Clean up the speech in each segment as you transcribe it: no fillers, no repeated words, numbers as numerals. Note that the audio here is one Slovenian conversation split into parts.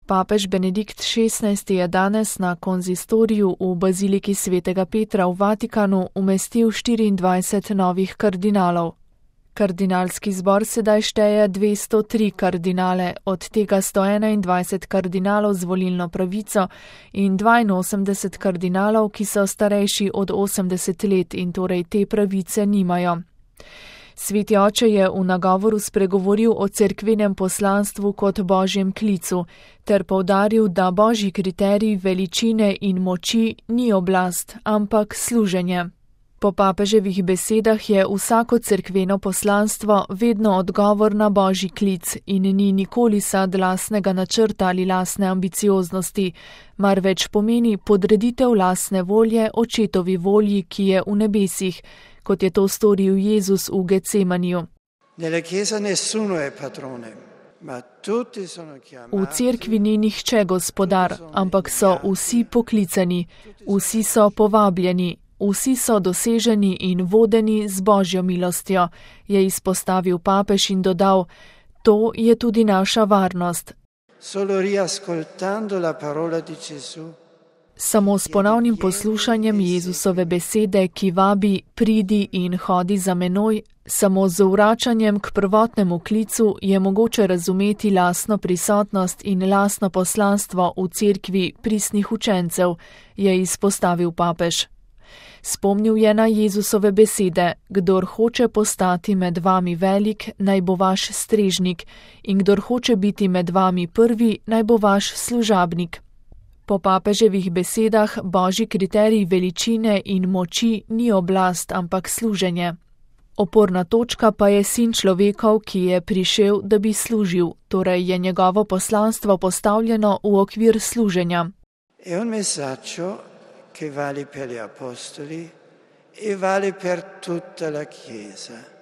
Papež Benedikt XVI je danes na konzistoriju v baziliki svetega Petra v Vatikanu umestil 24 novih kardinalov. Kardinalski zbor sedaj šteje 203 kardinale, od tega 121 kardinalov z volilno pravico in 82 kardinalov, ki so starejši od 80 let in torej te pravice nimajo. Sveti oče je v nagovoru spregovoril o cerkvenem poslanstvu kot božjem klicu, ter poudaril, da božji kriterij veličine in moči ni oblast, ampak služenje. Po papeževih besedah je vsako cerkveno poslanstvo vedno odgovor na božji klic in ni nikoli sad lastnega načrta ali lastne ambicioznosti, marveč pomeni podreditev lastne volje očetovi volji, ki je v nebesih, kot je to storil Jezus v Getsemaniju. V cerkvi ni nihče gospodar, ampak so vsi poklicani, vsi so povabljeni, vsi so doseženi in vodeni z božjo milostjo, je izpostavil papež in dodal, to je tudi naša varnost. Samo s ponovnim poslušanjem Jezusove besede, ki vabi, pridi in hodi za menoj, samo z vračanjem k prvotnemu klicu je mogoče razumeti lastno prisotnost in lastno poslanstvo v cerkvi pristnih učencev, je izpostavil papež. Spomnil je na Jezusove besede, kdor hoče postati med vami velik, naj bo vaš strežnik, in kdor hoče biti med vami prvi, naj bo vaš služabnik. Po papeževih besedah božji kriterij veličine in moči ni oblast, ampak služenje. Oporna točka pa je sin človekov, ki je prišel, da bi služil, torej je njegovo poslanstvo postavljeno v okvir služenja. Che vale per gli apostoli e vale per tutta la Chiesa.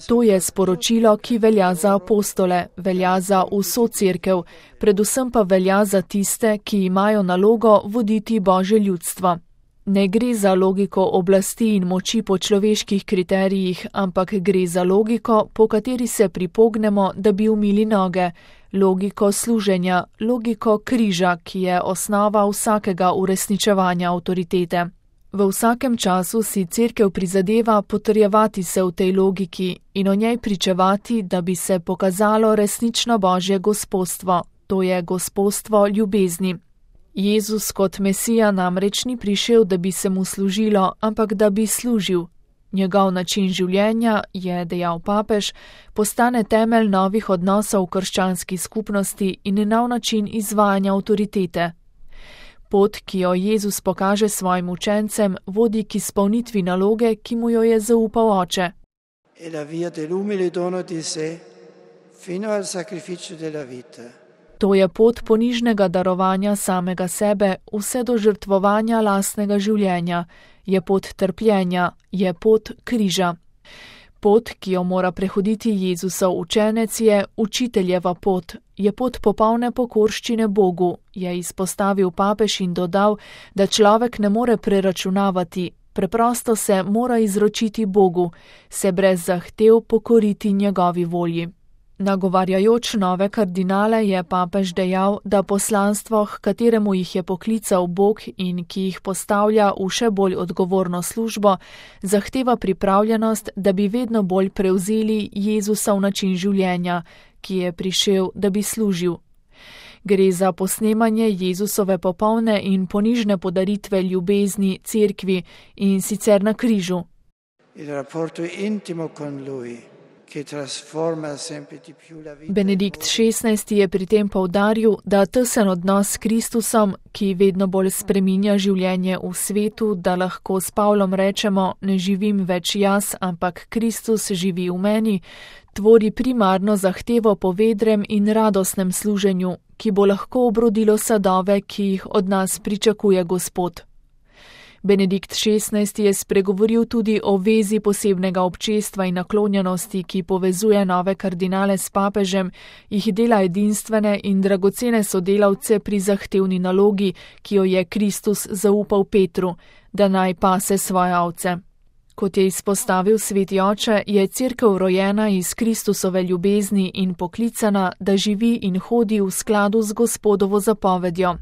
To je sporočilo, ki velja za apostole, velja za vso cerkev, predvsem pa velja za tiste, ki imajo nalogo voditi božje ljudstvo. Ne gre za logiko oblasti in moči po človeških kriterijih, ampak gre za logiko, po kateri se pripognemo, da bi umili noge, logiko služenja, logiko križa, ki je osnova vsakega uresničevanja avtoritete. V vsakem času si cerkev prizadeva potrjevati se v tej logiki in o njej pričevati, da bi se pokazalo resnično božje gospostvo, to je gospostvo ljubezni. Jezus kot Mesija namreč ni prišel, da bi se mu služilo, ampak da bi služil. Njegov način življenja, je dejal papež, postane temelj novih odnosov v krščanski skupnosti in nov način izvajanja avtoritete. Pot, ki jo Jezus pokaže svojim učencem, vodi k izpolnitvi naloge, ki mu jo je zaupal oče. To je pot ponižnega darovanja samega sebe, vse do žrtvovanja lastnega življenja, je pot trpljenja, je pot križa. Pot, ki jo mora prehoditi Jezusov učenec, je učiteljeva pot, je pot popolne pokorščine Bogu, je izpostavil papež in dodal, da človek ne more preračunavati, preprosto se mora izročiti Bogu, se brez zahtev pokoriti njegovi volji. Nagovarjajoč nove kardinale je papež dejal, da poslanstvo, h kateremu jih je poklical Bog in ki jih postavlja v še bolj odgovorno službo, zahteva pripravljenost, da bi vedno bolj prevzeli Jezusov način življenja, ki je prišel, da bi služil. Gre za posnemanje Jezusove popolne in ponižne podaritve ljubezni cerkvi in sicer na križu. Benedikt XVI je pri tem poudaril, da tesen odnos s Kristusom, ki vedno bolj spreminja življenje v svetu, da lahko s Pavlom rečemo, ne živim več jaz, ampak Kristus živi v meni, tvori primarno zahtevo po vedrem in radostnem služenju, ki bo lahko obrodilo sadove, ki jih od nas pričakuje Gospod. Benedikt XVI je spregovoril tudi o vezi posebnega občestva in naklonjenosti, ki povezuje nove kardinale s papežem, jih dela edinstvene in dragocene sodelavce pri zahtevni nalogi, ki jo je Kristus zaupal Petru, da naj pase svoje ovce. Kot je izpostavil sveti oče, je Cerkev rojena iz Kristusove ljubezni in poklicana, da živi in hodi v skladu z Gospodovo zapovedjo.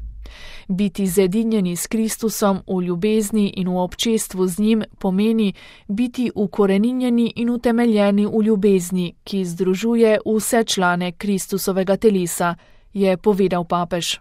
Biti zedinjeni s Kristusom v ljubezni in v občestvu z njim pomeni biti ukoreninjeni in utemeljeni v ljubezni, ki združuje vse člane Kristusovega telesa, je povedal papež.